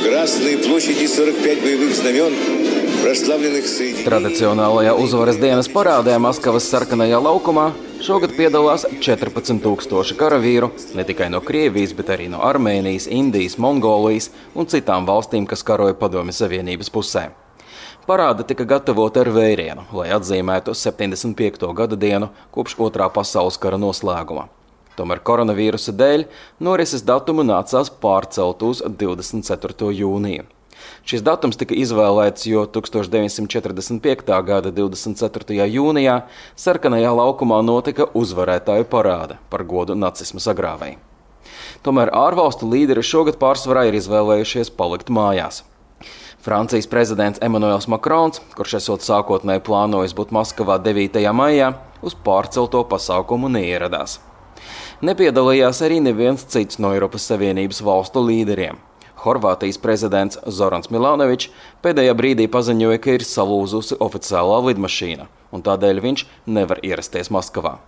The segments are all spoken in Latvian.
Красной площади 45 боевых знамен, прославленных среди... Tradicionālajā uzvaras dienas parādē Maskavas sarkanajā laukumā šogad piedalās 14,000 karavīru ne tikai no Krievijas, bet arī no Armēnijas, Indijas, Mongolijas un citām valstīm, kas karoja Padomju Savienības pusē. Parāde tika gatavota ar vērienu, lai atzīmētu 75. gada dienu kopš Otrā pasaules kara noslēguma. Tomēr koronavīrusa dēļ norises datumu nācās pārcelt uz 24. jūniju. Šis datums tika izvēlēts, jo 1945. gada 24. jūnijā sarkanajā laukumā notika uzvarētāju parāde par godu nacisma sagrāvei. Tomēr ārvalstu līderi šogad pārsvarā ir izvēlējušies palikt mājās. Francijas prezidents Emmanuels Macrons, kurš esot sākotnēji plānojis būt Maskavā 9. maijā, uz pārcelto pasākumu neieradās. Nepiedalījās arī neviens cits no Eiropas Savienības valstu līderiem. Horvātijas prezidents Zorans Milanovičs pēdējā brīdī paziņoja, ka ir salūzusi oficiālā lidmašīna, un tādēļ viņš nevar ierasties Maskavā.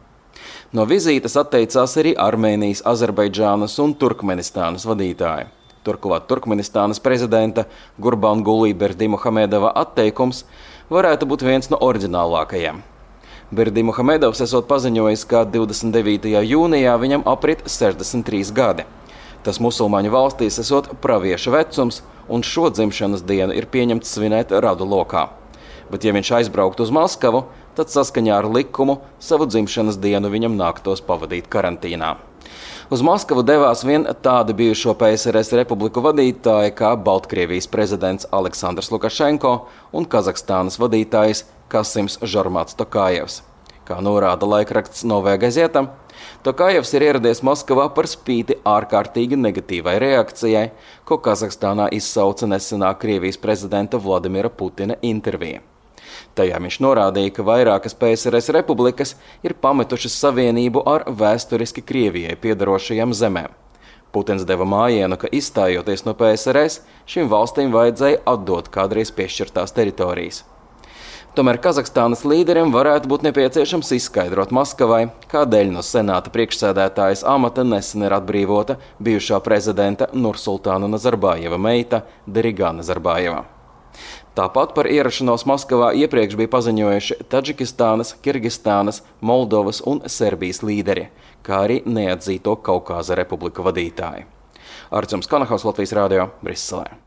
No vizītes atteicās arī Armēnijas, Azerbaidžānas un Turkmenistānas vadītāji. Turklāt Turkmenistānas prezidenta Gurbanguly Berdimuhamedova atteikums varētu būt viens no oriģinālākajiem. Berdimuhamedovs esot paziņojis, ka 29. jūnijā viņam aprit 63 gadi. Tas musulmaņu valstīs esot pravieša vecums, un šo dzimšanas dienu ir pieņemts svinēt radu lokā. Bet ja viņš aizbrauktu uz Maskavu, tad saskaņā ar likumu savu dzimšanas dienu viņam nāktos pavadīt karantīnā. Uz Maskavu devās vien tādi bijušo PSRS republiku vadītāji kā Baltkrievijas prezidents Aleksandrs Lukašenko un Kazahstānas vadītājs Kasims Žormats Tokājevs. Kā norāda laikraksts Novaya Gazeta, Tokājevs ir ieradies Maskavā par spīti ārkārtīgi negatīvai reakcijai, ko Kazahstānā izsauca nesenā Krievijas prezidenta Vladimira Putina intervija. Tajā viņš norādīja, ka vairākas PSRS republikas ir pametušas savienību ar vēsturiski Krievijai piedarošajām zemēm. Putins deva mājienu, ka izstājoties no PSRS, šīm valstīm vajadzēja atdot kādreiz piešķirtās teritorijas. Tomēr Kazahstānas līderiem varētu būt nepieciešams izskaidrot Maskavai, kādēļ no senāta priekšsēdētājas amata nesen ir atbrīvota bijušā prezidenta Nursultāna Nazarbājeva meita Derigā Nazarbājeva. Tāpat par ierašanos Maskavā iepriekš bija paziņojuši Tadžikistānas, Kirgistānas, Moldovas un Serbijas līderi, kā arī neatzīto Kaukāza republiku vadītāji. Arčuns Kanahaus, Latvijas radio, Briselē.